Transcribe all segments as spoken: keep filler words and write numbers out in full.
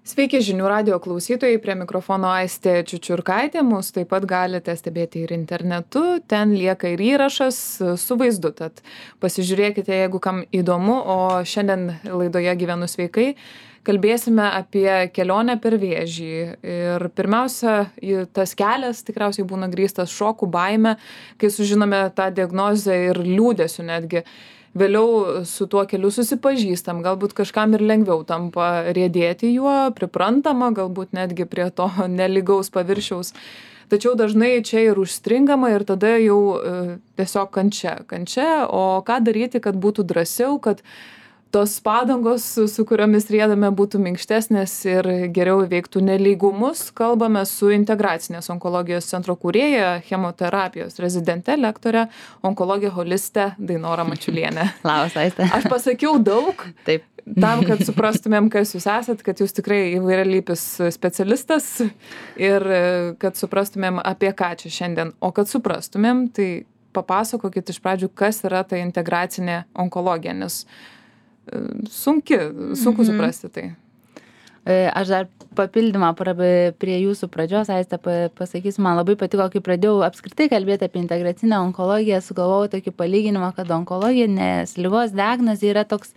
Sveiki žinių radijo klausytojai, prie mikrofono Aistė Čiučiurkaitė, mus taip pat galite stebėti ir internetu, ten lieka ir įrašas su vaizdu, tad pasižiūrėkite, jeigu kam įdomu, o šiandien laidoje Gyvenu sveikai kalbėsime apie kelionę per vėžį. Ir pirmiausia, tas kelias tikriausiai būna grįstas šoku, baime, kai sužinome tą diagnozę ir liūdesiu netgi. Vėliau su tuo keliu susipažįstam, galbūt kažkam ir lengviau tampa riedėti juo, priprantama, galbūt netgi prie to nelygaus paviršiaus. Tačiau dažnai čia ir užstringama ir tada jau e, tiesiog kančia, kančia, o ką daryti, kad būtų drąsiau, kad tos padangos, su, su kuriomis riedame, būtų minkštesnės ir geriau įveiktų nelygumus. Kalbame su integracinės onkologijos centro kūrėja, chemoterapijos rezidente, lektore, onkologė holiste Dainora Mačiulienė. Labas, Aiste. Aš pasakiau daug. Taip. Tam, kad suprastumėm, kas jūs esat, kad jūs tikrai įvairialypis specialistas ir kad suprastumėm, apie ką čia šiandien. O kad suprastumėm, tai papasakokit iš pradžių, kas yra ta integracinė onkologija, nes sunki, sunku suprasti tai. Aš dar papildymą prie jūsų pradžios, Aiste, pasakysiu, man labai patiko, kai pradėjau apskritai kalbėti apie integracinę onkologiją, sugalvojau tokį palyginimą, kad onkologinės ligos diagnozė yra toks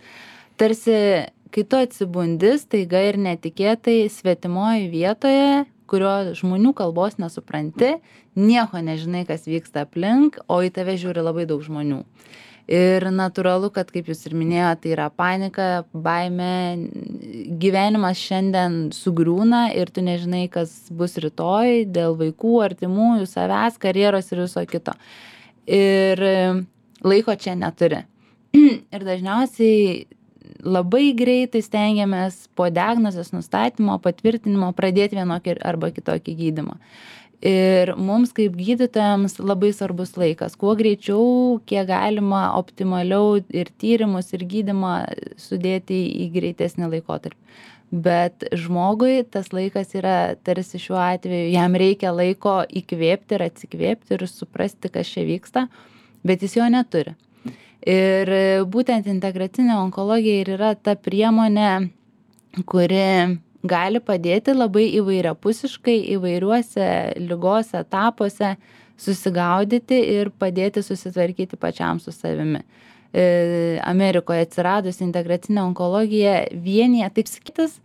tarsi, kai tu atsibundi staiga ir netikėtai svetimoje vietoje, kurio žmonių kalbos nesupranti, nieko nežinai, kas vyksta aplink, o į tave žiūri labai daug žmonių. Ir natūralu, kad, kaip jūs ir minėjote, tai yra panika, baimė, gyvenimas šiandien sugriūna ir tu nežinai, kas bus rytoj dėl vaikų, artimųjų, savęs, karjeros ir viso kito. Ir laiko čia neturi. Ir dažniausiai labai greitai stengiamės po diagnozės nustatymo, patvirtinimo pradėti vienokį arba kitokį gydymą. Ir mums kaip gydytojams labai svarbus laikas. Kuo greičiau, kiek galima optimaliau ir tyrimus, ir gydymą sudėti į greitesnį laikotarpį. Bet žmogui tas laikas yra tarsi šiuo atveju, jam reikia laiko įkvėpti ir atsikvėpti ir suprasti, kas čia vyksta, bet jis jo neturi. Ir būtent integracinė onkologija ir yra ta priemonė, kuri gali padėti labai įvairiapusiškai įvairiuose ligos etapuose susigaudyti ir padėti susitvarkyti pačiam su savimi. Amerikoje atsiradus integracinė onkologija vienyje taip sakytas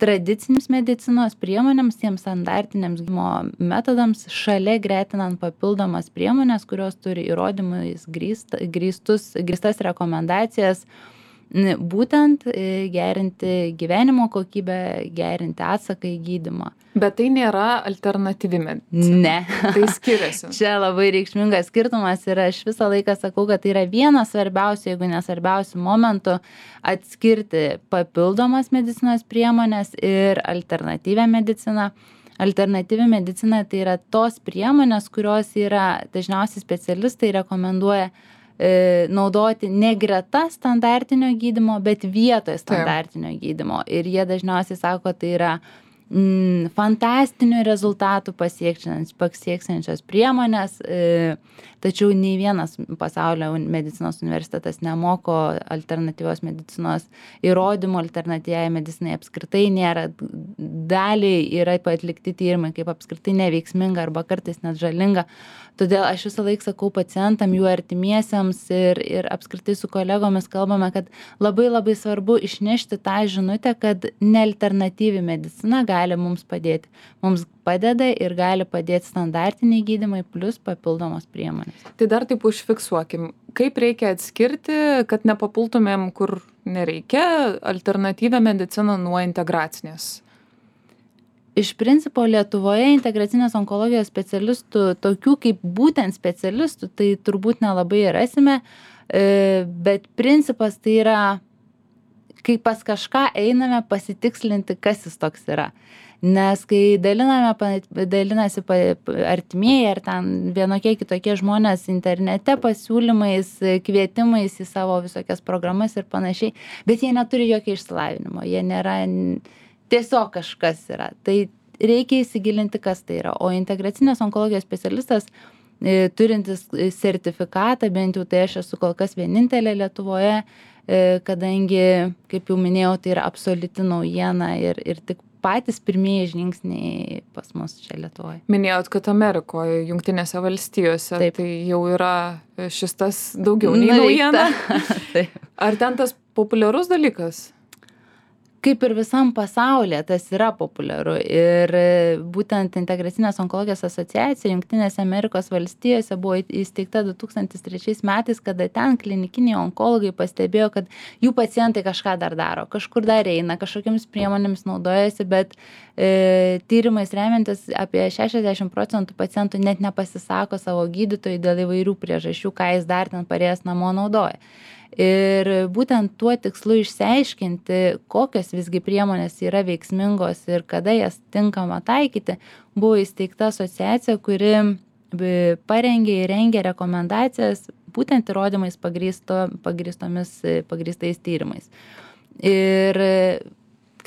tradicinėms medicinos priemonėms, tiems standartiniams gydymo metodams, šalia gretinant papildomas priemonės, kurios turi įrodymais grįst, grįstus, grįstas rekomendacijas, būtent gerinti gyvenimo kokybę, gerinti atsaką į gydymą. Bet tai nėra alternatyvi medicina. Ne. Tai skiriasi. Čia labai reikšmingas skirtumas ir aš visą laiką sakau, kad tai yra vienas svarbiausių, jeigu nesvarbiausių momentų atskirti papildomas medicinos priemonės ir alternatyvią mediciną. Alternatyvi medicina tai yra tos priemonės, kurios yra dažniausiai specialistai rekomenduoja naudoti ne greta standartinio gydymo, bet vietoje standartinio gydymo. Ir jie dažniausiai sako, tai yra mm, fantastinių rezultatų pasieksiančios priemonės, e, tačiau nei vienas pasaulio medicinos universitetas nemoko alternatyvios medicinos įrodymų, alternatyviai medicinai apskritai nėra. Daliai yra atlikti tyrimai kaip apskritai neveiksminga arba kartais net žalinga. Todėl aš visą laiką sakau pacientam, jų artimiesiems ir, ir apskritai su kolegomis kalbame, kad labai labai svarbu išnešti tą žinutę, kad nealternatyvi medicina gali mums padėti. Mums padeda ir gali padėti standartiniai gydymai plus papildomos priemonės. Tai dar taip užfiksuokim, kaip reikia atskirti, kad nepapultumėm, kur nereikia, alternatyvią mediciną nuo integracinės. Iš principo Lietuvoje integracinės onkologijos specialistų, tokių kaip būtent specialistų, tai turbūt nelabai rasime, bet principas tai yra, kai pas kažką einame pasitikslinti, kas jis toks yra. Nes kai daliname, dalinasi artimieji ar ten vienokie kitokie žmonės internete pasiūlymais, kvietimais į savo visokias programas ir panašiai, bet jie neturi jokio išsilavinimo, jie nėra... Tiesiog kažkas yra. Tai reikia įsigilinti, kas tai yra. O integracinės onkologijos specialistas, e, turintis sertifikatą, bent jau tai aš esu kol kas vienintelė Lietuvoje, e, kadangi, kaip jau minėjau, tai yra absoliuti naujiena ir, ir tik patys pirmieji žingsniai pas mus čia Lietuvoje. Minėjot, kad Amerikoje, Jungtinėse valstijose, Taip. tai jau yra šis tas daugiau nei naujiena. Ar ten tas populiarus dalykas? Kaip ir visam pasaulyje, tas yra populiaru. Ir būtent Integracinės onkologijos asociacija Jungtinėse Amerikos valstijose buvo įsteigta du tūkstančiai trečiais metais, kada ten klinikiniai onkologai pastebėjo, kad jų pacientai kažką dar daro, kažkur dar eina, kažkokiamis priemonėmis naudojasi, bet e, tyrimais remiantis apie šešiasdešimt procentų pacientų net nepasisako savo gydytojui dėl įvairių priežasčių, ką jis dar ten parėjęs namo naudoja. Ir būtent tuo tikslu išsiaiškinti, kokios visgi priemonės yra veiksmingos ir kada jas tinkama taikyti, buvo įsteigta asociacija, kuri parengė ir rengė rekomendacijas būtent įrodymais pagrįsto, pagrįstomis, pagrįstais tyrimais. Ir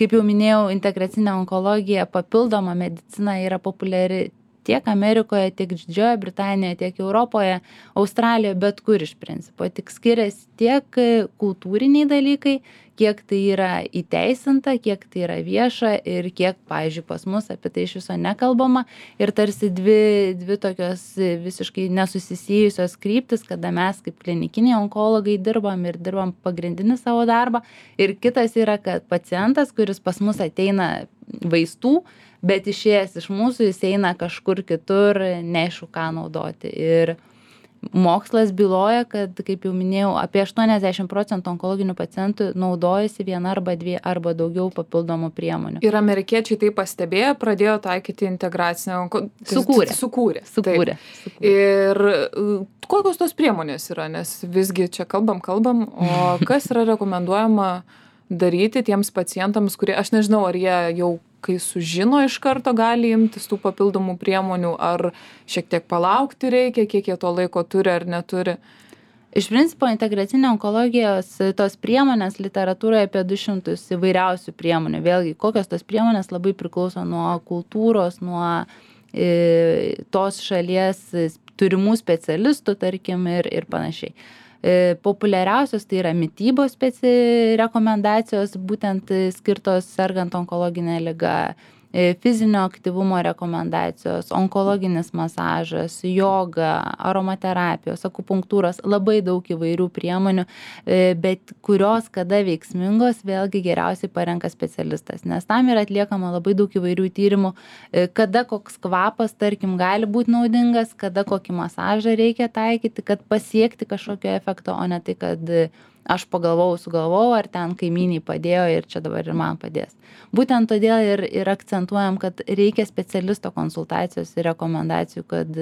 kaip jau minėjau, integracinė onkologija, papildoma medicina yra populiari tiek Amerikoje, tiek Didžiojoje Britanijoje, tiek Europoje, Australijoje, bet kur iš principo. Tik skiriasi tiek kultūriniai dalykai, kiek tai yra įteisinta, kiek tai yra vieša ir kiek, pavyzdžiui, pas mus apie tai iš viso nekalbama. Ir tarsi dvi, dvi tokios visiškai nesusisijusios kryptis, kada mes kaip klinikiniai onkologai dirbam ir dirbam pagrindinį savo darbą. Ir kitas yra, kad pacientas, kuris pas mus ateina vaistų, bet išėjęs iš mūsų jis eina kažkur kitur, neaišku ką naudoti. Ir mokslas byloja, kad, kaip jau minėjau, apie aštuoniasdešimt procentų onkologinių pacientų naudojasi viena arba dvi arba daugiau papildomų priemonių. Ir amerikiečiai tai pastebėjo, pradėjo taikyti integracinę onkologiją. Sukūrė. Sukūrė. Sukūrė. Sukūrė. Ir kokios tos priemonės yra, nes visgi čia kalbam, kalbam, o kas yra rekomenduojama daryti tiems pacientams, kurie, aš nežinau, ar jie jau kai sužino iš karto gali imtis tų papildomų priemonių, ar šiek tiek palaukti reikia, kiek jie to laiko turi ar neturi. Iš principo, integracinė onkologijos tos priemonės literatūroje apie du šimtus įvairiausių priemonių. Vėlgi, kokios tos priemonės labai priklauso nuo kultūros, nuo e, tos šalies turimų specialistų, tarkim, ir, ir panašiai. E, populiariausios tai yra mitybos speci rekomendacijos, būtent skirtos sergant onkologinę ligą, e, fizinio aktyvumo rekomendacijos, onkologinis masažas, joga, aromaterapijos, akupunktūros, labai daug įvairių priemonių, e, bet kurios kada veiksmingos, vėlgi geriausiai parenka specialistas, nes tam yra atliekama labai daug įvairių tyrimų, e, kada koks kvapas, tarkim, gali būti naudingas, kada kokį masažą reikia taikyti, kad pasiekti kažkokio efekto, o ne tai, kad aš pagalvojau, sugalvojau, ar ten kaimyniai padėjo ir čia dabar ir man padės. Būtent todėl ir, ir akcentuojam, kad reikia specialisto konsultacijos ir rekomendacijų, kad,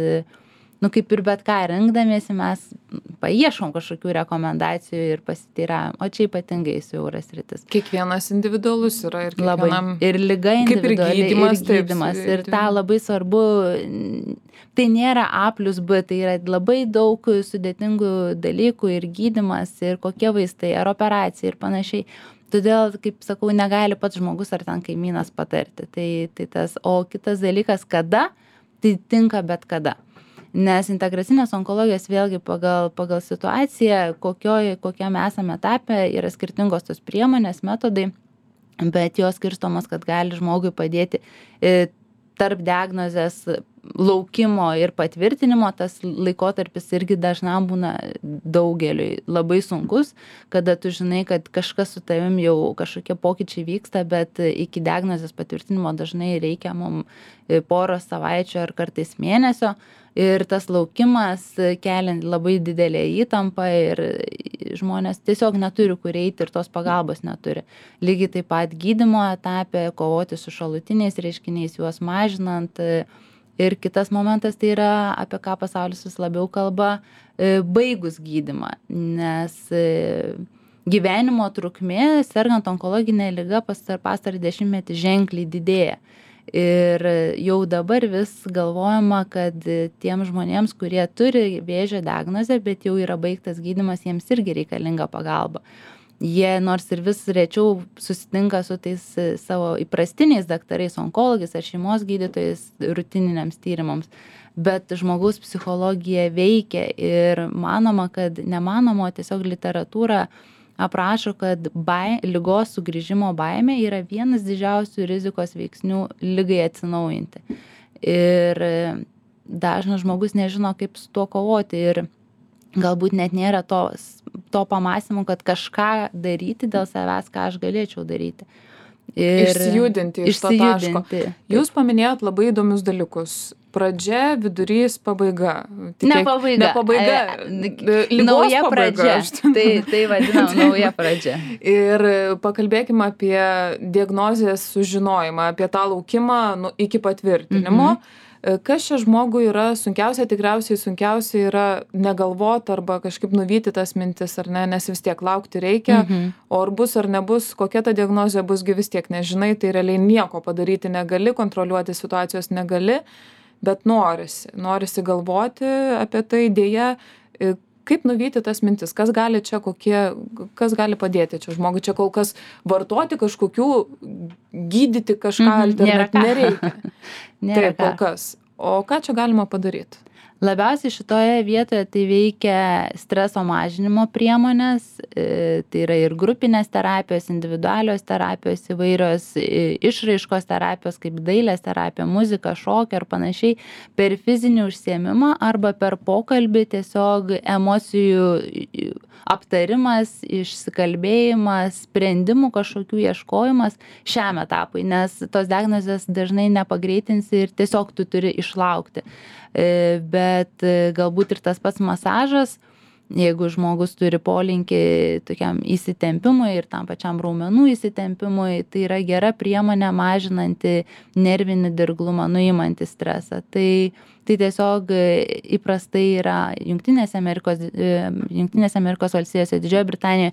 nu, kaip ir bet ką rinkdamiesi, mes paieškom kažkokių rekomendacijų ir pasiteiravom, o čia ypatingai siauras sritis. Kiekvienas individualus yra ir kiekvienam. Labai. Ir liga individuali, ir gydymas. Ir, gydymas. Taip, ir tą labai svarbu, tai nėra A plus B, tai yra labai daug sudėtingų dalykų ir gydymas, ir kokie vaistai, ar operacija ir panašiai. Todėl, kaip sakau, negali pats žmogus ar ten kaimynas patarti. Tai, tai tas, o kitas dalykas, kada, tai tinka bet kada. Nes integracinės onkologijos vėlgi pagal, pagal situaciją, kokioj, kokiam esame etape, yra skirtingos tos priemonės, metodai, bet jos skirstomos, kad gali žmogui padėti e, tarp diagnozės laukimo ir patvirtinimo. Tas laikotarpis irgi dažnam būna daugeliui labai sunkus, kada tu žinai, kad kažkas su tavim jau kažkokie pokyčiai vyksta, bet iki diagnozės patvirtinimo dažnai reikia mum poros savaičių ar kartais mėnesio. Ir tas laukimas kelia labai didelę įtampą ir žmonės tiesiog neturi kur eiti ir tos pagalbos neturi. Lygiai taip pat gydymo etape, kovoti su šalutiniais reiškiniais, juos mažinant. Ir kitas momentas tai yra, apie ką pasaulis vis labiau kalba, baigus gydymą, nes gyvenimo trukmė, sergant onkologinę ligą pastarąjį dešimtmetį ženkliai didėja. Ir jau dabar vis galvojama, kad tiem žmonėms, kurie turi vėžio diagnozę, bet jau yra baigtas gydymas, jiems irgi reikalinga pagalba. Jie nors ir vis rečiau susitinka su tais savo įprastiniais daktarais, onkologais ar šeimos gydytojais rutininiams tyrimams, bet žmogaus psichologija veikia ir manoma, kad nemanoma, tiesiog literatūra aprašo, kad bai, ligos sugrįžimo baimė yra vienas didžiausių rizikos veiksnių ligai atsinaujinti. Ir dažnas žmogus nežino, kaip su tuo kovoti ir galbūt net nėra to, to pamąstymo, kad kažką daryti dėl savęs, ką aš galėčiau daryti. Ir išsijudinti iš to taško. Jūs paminėjot labai įdomius dalykus. Pradžia, vidurys, pabaiga. Tikėk, ne pabaiga. Ne pabaiga. E, nauja pabaiga. Pradžia. Tai, tai vadinam nauja pradžia. Ir pakalbėkime apie diagnozės sužinojimą, apie tą laukimą nu, iki patvirtinimo. Mhm. Kas čia žmogui yra sunkiausia, tikriausiai sunkiausia yra negalvot arba kažkaip nuvyti tas mintis, ar ne, nes vis tiek laukti reikia, mhm. o ar bus ar nebus, kokia ta diagnozė busgi vis tiek nežinai, tai realiai nieko padaryti negali, kontroliuoti situacijos negali, bet norisi, norisi galvoti apie tai, dėja, kaip nuvyti tas mintis, kas gali čia kokie, kas gali padėti čia žmogui, čia kol kas vartoti kažkokių, gydyti kažką mm, alternatyviai nereikia. Nėra Taip, kol kas. O ką čia galima padaryti? Labiausiai šitoje vietoje tai veikia streso mažinimo priemonės, tai yra ir grupinės terapijos, individualios terapijos, įvairios išraiškos terapijos, kaip dailės terapija, muzika, šokio ir panašiai, per fizinį užsiėmimą arba per pokalbį tiesiog emocijų aptarimas, išsikalbėjimas, sprendimų kažkokių ieškojimas šiam etapui, nes tos diagnozės dažnai nepagreitinsi ir tiesiog tu turi išlaukti. Bet galbūt ir tas pats masažas, jeigu žmogus turi polinkį tokiam įsitempimui ir tam pačiam raumenų įsitempimui, tai yra gera priemonė mažinanti nervinį dirglumą, nuimanti stresą. Tai, tai tiesiog įprastai yra Jungtinėse Amerikos, Jungtinėse Amerikos valstijose, Didžiojoje Britanijoje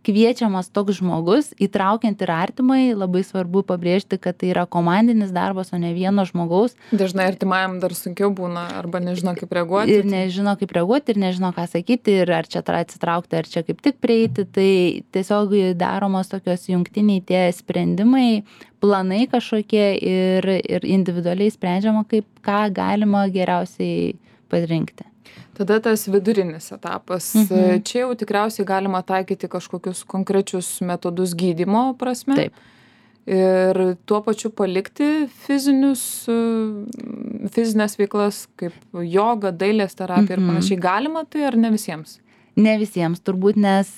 kviečiamas toks žmogus, įtraukiant ir artimai, labai svarbu pabrėžti, kad tai yra komandinis darbas, o ne vieno žmogaus. Dažnai artimajam dar sunkiau būna, arba nežino, kaip reaguoti. Ir nežino, kaip reaguoti, ir nežino, ką sakyti, ir ar čia atsitraukti, ar čia kaip tik prieiti. Tai tiesiog daromos tokios jungtiniai tie sprendimai, planai kažkokie ir, ir individualiai sprendžiama, kaip ką galima geriausiai pasirinkti. Tada tas vidurinis etapas. Mhm. Čia jau tikriausiai galima taikyti kažkokius konkrečius metodus gydymo prasme. Taip. Ir tuo pačiu palikti fizinius, fizinės veiklas, kaip joga, dailės terapija mhm. ir panašiai. Galima tai ar ne visiems? Ne visiems, turbūt, nes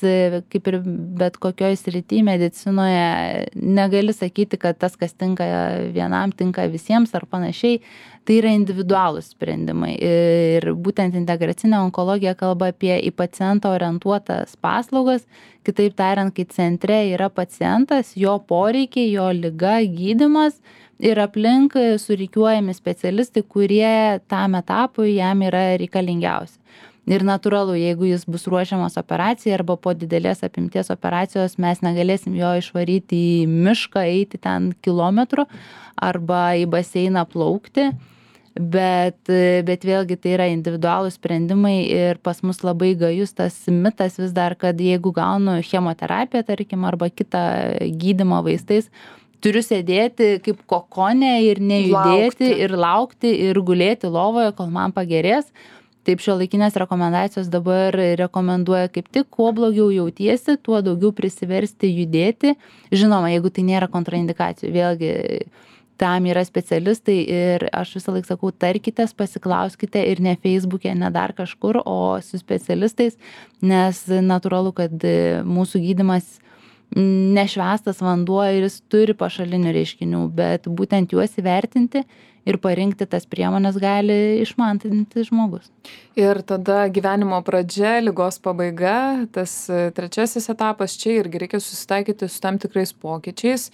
kaip ir bet kokioj srity medicinoje negali sakyti, kad tas, kas tinka vienam, tinka visiems ar panašiai. Tai yra individualūs sprendimai. Ir būtent integracinė onkologija kalba apie į pacientą orientuotas paslaugas. Kitaip tariant, kai centre yra pacientas, jo poreikiai, jo liga, gydymas ir aplink surikiuojami specialistai, kurie tam etapui jam yra reikalingiausi. Ir natūralu, jeigu jis bus ruošiamas operacijai arba po didelės apimties operacijos, mes negalėsim jo išvaryti į mišką, eiti ten kilometrų arba į baseiną plaukti, bet, bet vėlgi tai yra individualūs sprendimai ir pas mus labai gajus tas mitas vis dar, kad jeigu gaunu chemoterapiją, tarkim, arba kitą gydymą vaistais, turiu sėdėti kaip kokone ir nejudėti laukti. ir laukti ir gulėti lovoje, kol man pagerės. Taip šiuolaikinės rekomendacijos dabar rekomenduoja kaip tik, kuo blogiau jautiesi, tuo daugiau prisiversti judėti. Žinoma, jeigu tai nėra kontraindikacijų, vėlgi tam yra specialistai ir aš visą laiką sakau, tarkitės, pasiklauskite ir ne Facebook'e, ne dar kažkur, o su specialistais, nes natūralu, kad mūsų gydymas nešvestas vanduo ir jis turi pašalinių reiškinių, bet būtent juos įvertinti ir parinkti tas priemonės gali išmantinti žmogus. Ir tada gyvenimo pradžia, ligos pabaiga, tas trečiasis etapas, čia irgi reikia susitaikyti su tam tikrais pokyčiais,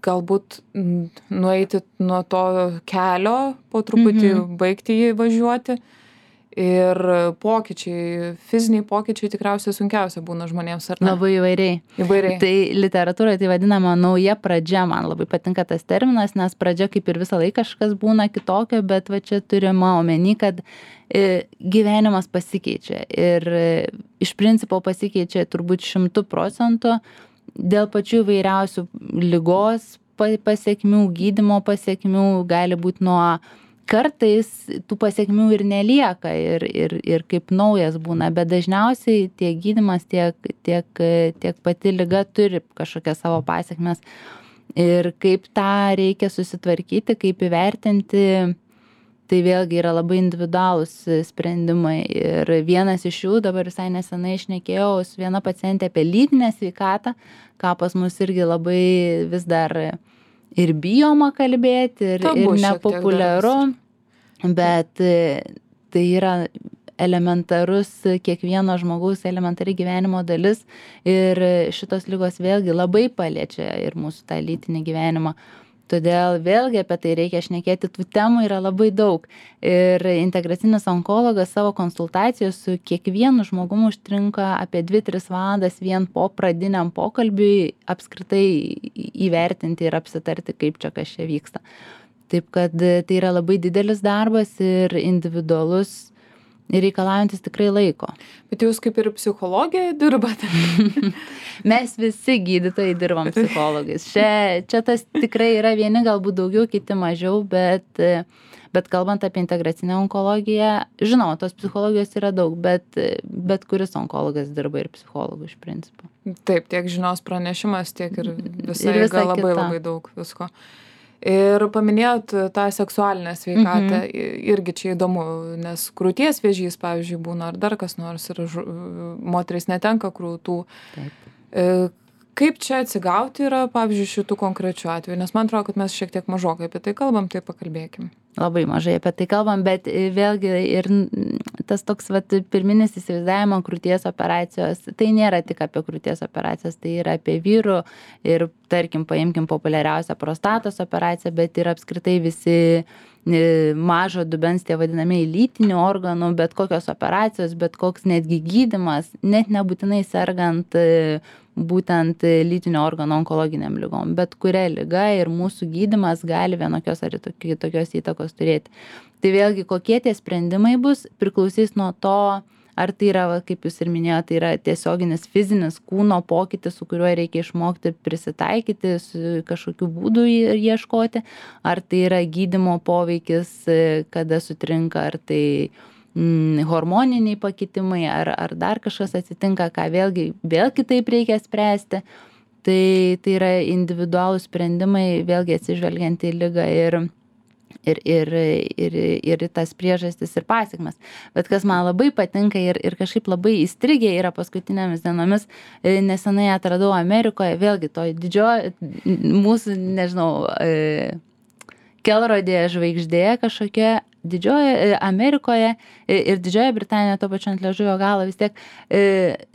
galbūt nueiti nuo to kelio, po truputį mhm. baigti jį važiuoti. Ir pokyčiai, fiziniai pokyčiai tikriausiai sunkiausia būna žmonėms, ar ne? Labai įvairiai. Įvairiai. Tai literatūroje tai vadinama nauja pradžia, man labai patinka tas terminas, nes pradžia kaip ir visą laiką kažkas būna kitokio, bet va čia turima omeny, kad gyvenimas pasikeičia ir iš principo pasikeičia turbūt šimtų procentų dėl pačių įvairiausių ligos pasiekmių, gydymo pasiekmių, gali būti nuo kartais tų pasekmių ir nelieka ir, ir, ir kaip naujas būna, bet dažniausiai tiek gydymas, tiek, tiek, tiek pati liga turi kažkokias savo pasekmes. Ir kaip tą reikia susitvarkyti, kaip įvertinti, tai vėlgi yra labai individualūs sprendimai. Ir vienas iš jų, dabar visai nesenai šnekėjau su viena pacientė apie lytinę sveikatą, ką pas mus irgi labai vis dar ir bijoma kalbėti, ir, ir nepopuliaru, bet tai yra elementarus kiekvieno žmogaus elementari gyvenimo dalis ir šitos ligos vėlgi labai paliečia ir mūsų tą lytinį gyvenimą. Todėl vėlgi apie tai reikia šnekėti, tų temų yra labai daug. Ir integracinis onkologas savo konsultacijos su kiekvienu žmogumu užtrunka apie dvi tris valandas vien po pradiniam pokalbiui apskritai įvertinti ir apsitarti, kaip čia kas čia vyksta. Taip kad tai yra labai didelis darbas ir individualus ir reikalaujantis tikrai laiko. Bet jūs kaip ir psichologija dirbate? Mes visi gydytojai dirbam psichologais. Čia, čia tas tikrai yra vieni galbūt daugiau, kiti mažiau, bet, bet kalbant apie integracinę onkologiją, žinoma, tos psichologijos yra daug, bet, bet kuris onkologas dirba ir psichologų iš principo. Taip, tiek žinios pranešimas, tiek ir visai ir visa labai kita. Labai daug visko. Ir paminėjot tą seksualinę sveikatą, mhm. irgi čia įdomu, nes krūties vėžys, pavyzdžiui, būna ar dar kas nors ir moteris netenka krūtų. Taip. Kaip čia atsigauti yra, pavyzdžiui, šitų konkrečių atvejų, nes man atrodo, kad mes šiek tiek mažokai apie tai kalbam, tai pakalbėkim. Labai mažai apie tai kalbam, bet vėlgi ir tas toks vat, pirminis įsivaizdavimo krūties operacijos, tai nėra tik apie krūties operacijas, tai yra apie vyrų ir, tarkim, paimkim populiariausią prostatos operaciją, bet ir apskritai visi mažo dubens tie vadinamieji lytinių organų, bet kokios operacijos, bet koks netgi gydymas, net nebūtinai sergant būtent lytinio organo onkologiniam ligom, bet kuria liga ir mūsų gydymas gali vienokios ar kitokios įtakos turėti. Tai vėlgi, kokie tie sprendimai bus, priklausys nuo to, ar tai yra, kaip jūs ir minėjote, tai yra tiesioginis fizinis kūno pokytis, su kuriuo reikia išmokti prisitaikyti, su kažkokiu būdu ieškoti, ar tai yra gydymo poveikis, kada sutrinka, ar tai mm, hormoniniai pakitimai, ar, ar dar kažkas atsitinka, ką vėlgi vėl kitaip reikia spręsti. Tai, tai yra individualūs sprendimai, vėlgi atsižvelgiant į ligą ir Ir, ir, ir, ir tas priežastis ir pasekmes. Bet kas man labai patinka ir, ir kažkaip labai įstrigė yra paskutinėmis dienomis, nesenai atradau Amerikoje, vėlgi to didžiojo, mūsų, nežinau, kelrodė žvaigždė kažkokia didžioje Amerikoje ir Didžiojoje Britanijoje, to pačiu ant liežuvio galo vis tiek,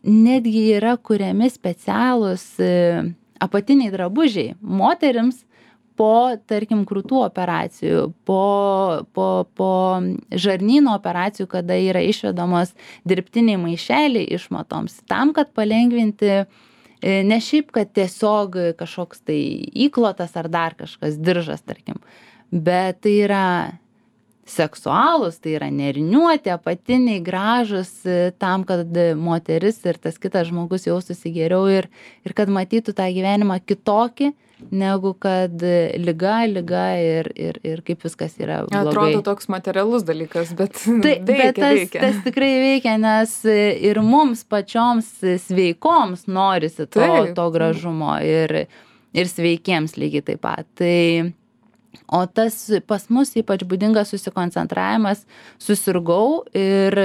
netgi yra kuriami specialūs apatiniai drabužiai moterims, po, tarkim, krūtų operacijų, po, po, po žarnyno operacijų, kada yra išvedamos dirbtiniai maišeliai išmatoms, tam, kad palengvinti, ne šiaip, kad tiesiog kažkoks tai įklotas ar dar kažkas, diržas, tarkim, bet tai yra seksualūs, tai yra neriniuoti, apatiniai, gražus, tam, kad moteris ir tas kitas žmogus jaustųsi geriau ir, ir kad matytų tą gyvenimą kitokį, negu kad liga, liga ir, ir, ir kaip viskas yra blogai. Atrodo toks materialus dalykas, bet tai, veikia, bet tas, veikia. Tas tikrai veikia, nes ir mums pačioms sveikoms norisi to, to gražumo ir, ir sveikiems lygiai taip pat. Tai o tas pas mus ypač būdingas susikoncentravimas, susirgau ir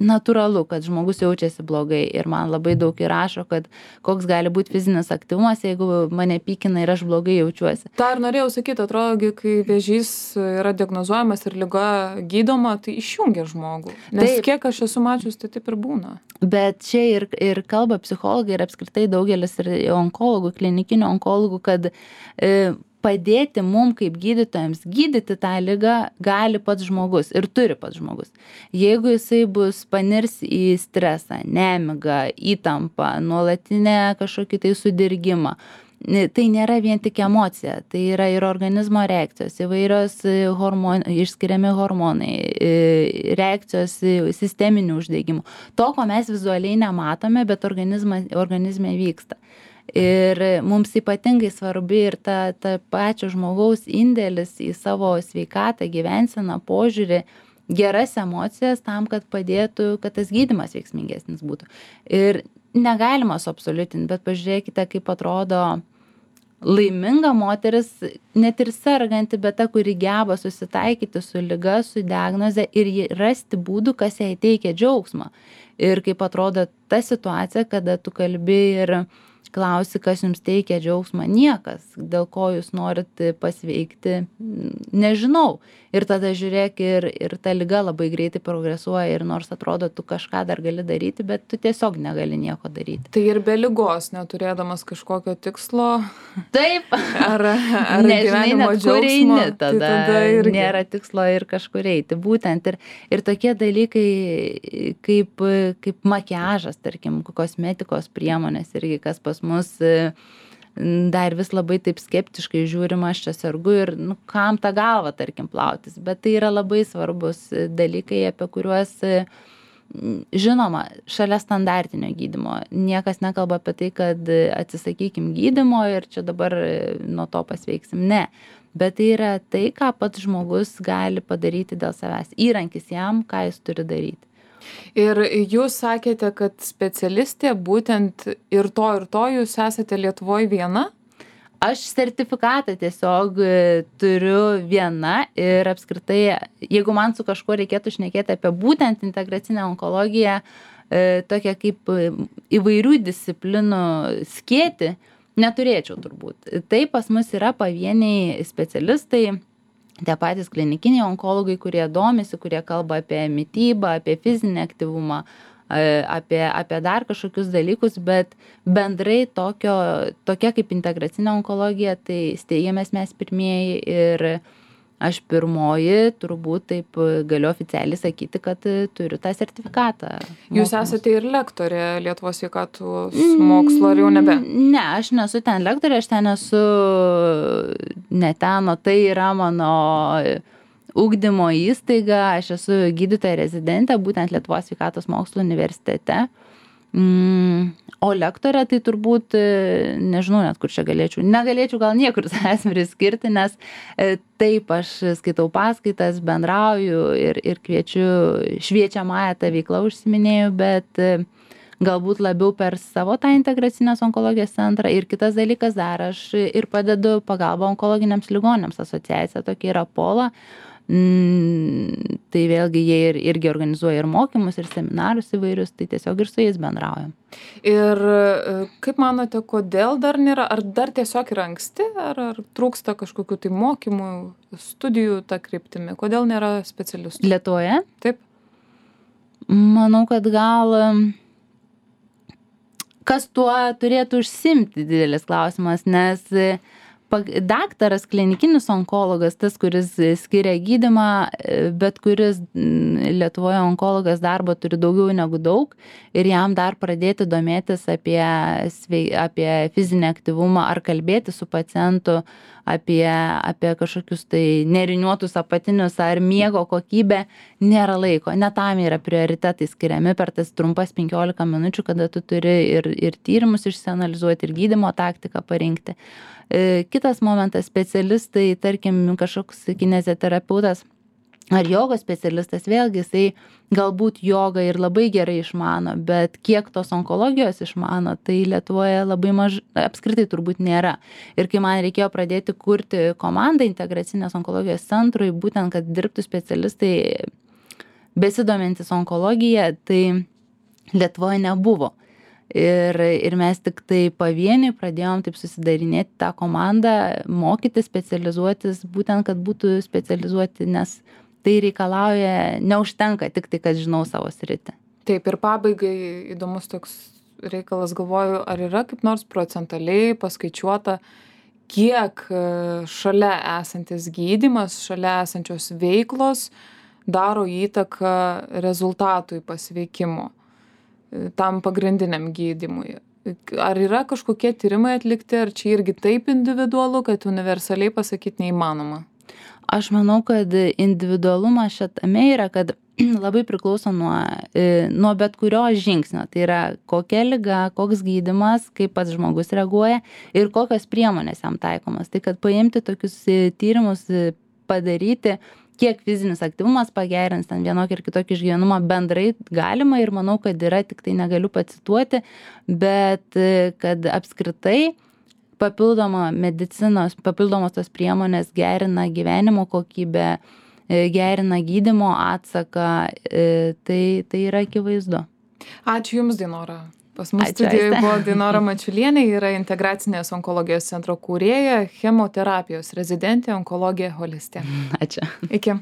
natūralu, kad žmogus jaučiasi blogai ir man labai daug įrašo, kad koks gali būti fizinis aktyvumas, jeigu mane pykina ir aš blogai jaučiuosi. Ta ir norėjau sakyti, atrodo, kai vėžys yra diagnozuojamas ir liga gydoma, tai išjungia žmogų. Nes taip, kiek aš esu mačius, tai taip ir būna. Bet čia ir, ir kalba psichologai ir apskritai daugelis ir onkologų, klinikinių onkologų, kad e, padėti mum kaip gydytojams gydyti tą ligą gali pats žmogus ir turi pats žmogus. Jeigu jisai bus panirs į stresą, nemigą, įtampą, nuolatinę kažkokį tai sudirgimą, tai nėra vien tik emocija, tai yra ir organizmo reakcijos, įvairios hormon, išskiriami hormonai, reakcijos sisteminių uždegimų. To, ko mes vizualiai nematome, bet organizme vyksta. Ir mums ypatingai svarbi ir ta, ta pačio žmogaus indėlis į savo sveikatą, gyvenseną, požiūrį, geras emocijas tam, kad padėtų, kad tas gydymas veiksmingesnis būtų. Ir negalima suabsoliutinti, bet pažiūrėkite, kaip atrodo laiminga moteris, net ir serganti, bet ta, kuri geba susitaikyti su liga, su diagnoze ir rasti būdų, kas jai teikia džiaugsmą. Ir kaip atrodo ta situacija, kada tu kalbi ir klausi, kas jums teikia džiaugsmą, niekas, dėl ko jūs norit pasveikti, nežinau. Ir tada žiūrėk, ir, ir ta liga labai greitai progresuoja ir nors atrodo, tu kažką dar gali daryti, bet tu tiesiog negali nieko daryti. Tai ir be ligos, neturėdamas kažkokio tikslo. Taip. Ar, ar nežinai, net kur eini, tada, tai tada irgi nėra tikslo ir kažkur eiti. Būtent ir, ir tokie dalykai kaip, kaip makiažas, tarkim, kosmetikos priemonės irgi, kas pas mus dar vis labai taip skeptiškai žiūrima, aš čia sergu ir nu, kam tą galvą, tarkim, plautis. Bet tai yra labai svarbus dalykai, apie kuriuos, žinoma, šalia standartinio gydymo. Niekas nekalba apie tai, kad atsisakykim gydymo ir čia dabar nuo to pasveiksim. Ne. Bet tai yra tai, ką pats žmogus gali padaryti dėl savęs. Įrankis jam, ką jis turi daryti. Ir jūs sakėte, kad specialistė būtent ir to ir to jūs esate Lietuvoje viena? Aš sertifikatą tiesiog turiu viena ir apskritai, jeigu man su kažkuo reikėtų šnekėti apie būtent integracinę onkologiją, tokią kaip įvairių disciplinų skėtį, neturėčiau turbūt. Tai pas mus yra pavieniai specialistai, tie patys klinikiniai onkologai, kurie domisi, kurie kalba apie mitybą, apie fizinį aktyvumą, apie, apie dar kažkokius dalykus, bet bendrai tokio, tokia kaip integracinė onkologija, tai steigėmės mes pirmieji ir aš pirmoji, turbūt taip galiu oficialiai sakyti, kad turiu tą sertifikatą. Jūs esate ir lektorė Lietuvos sveikatos mokslo, ar jau nebe? Ne, aš nesu ten lektorė, aš ten esu ne ten, o tai yra mano ugdymo įstaiga, aš esu gydytoja rezidentė, būtent Lietuvos sveikatos mokslo universitete. Mm, o lektorė tai turbūt, nežinau net kur čia galėčiau, negalėčiau gal niekur savęs priskirti, nes taip aš skaitau paskaitas, bendrauju ir, ir kviečiu šviečiamąją tą veiklą užsiminėjau, bet galbūt labiau per savo tą integracinės onkologijos centrą. Ir kitas dalykas dar, aš ir padedu pagalbą onkologiniams ligonėms, asociacija tokia yra Pola. Mm, tai vėlgi jie ir, irgi organizuoja ir mokymus, ir seminarus įvairius, tai tiesiog ir su jais bendraujam. Ir kaip manote, kodėl dar nėra, ar dar tiesiog yra anksti, ar, ar trūksta kažkokių tai mokymų, studijų tą kryptimi, kodėl nėra specialistų? Lietuvoje? Taip. Manau, kad gal kas tuo turėtų užsimti, didelis klausimas, nes daktaras, klinikinis onkologas, tas, kuris skiria gydymą, bet kuris Lietuvoje onkologas darbo turi daugiau negu daug ir jam dar pradėti domėtis apie, apie fizinį aktyvumą ar kalbėti su pacientu apie, apie kažkokius tai neriniuotus apatinius ar miego kokybę, nėra laiko. Ne tam yra prioritetai skiriami per tas trumpas penkiolika minučių, kada tu turi ir, ir tyrimus išsianalizuoti, ir gydymo taktiką parinkti. Kitas momentas, specialistai, tarkim, kažkoks kineziterapeutas ar jogos specialistas, vėlgi jisai galbūt jogą ir labai gerai išmano, bet kiek tos onkologijos išmano, tai Lietuvoje labai mažai, apskritai turbūt nėra. Ir kai man reikėjo pradėti kurti komandą integracinės onkologijos centrui, būtent, kad dirbtų specialistai besidomintis onkologija, tai Lietuvoje nebuvo. Ir, ir mes tik tai pavieniui pradėjom taip susidarinėti tą komandą, mokyti, specializuotis, būtent, kad būtų specializuoti, nes tai reikalauja, neužtenka tik tai, kad žinau savo sritį. Taip, ir pabaigai įdomus toks reikalas, galvoju, ar yra kaip nors procentaliai paskaičiuota, kiek šalia esantis gydymas, šalia esančios veiklos daro įtaką rezultatui pasveikimo, tam pagrindiniam gydymui. Ar yra kažkokie tyrimai atlikti, ar čia irgi taip individualu, kad universaliai pasakyti neįmanoma? Aš manau, kad individualumas šitame yra, kad labai priklauso nuo, nuo bet kurio žingsnio. Tai yra kokia liga, koks gydymas, kaip pats žmogus reaguoja ir kokios priemonės jam taikomas. Tai kad paimti tokius tyrimus, padaryti, kiek fizinis aktyvumas pagerins ten vienokį ir kitokį išgyvenumą bendrai galima ir manau, kad yra, tik tai negaliu pacituoti, bet kad apskritai papildoma medicinos, papildomos tos priemonės gerina gyvenimo kokybę, gerina gydymo atsaką, tai, tai yra akivaizdu. Ačiū Jums, Dainora. Pas mus studijoje buvo Dainora Mačiulienė, yra integracinės onkologijos centro kūrėja, chemoterapijos rezidentė, onkologija holistė. Ačiū. Iki.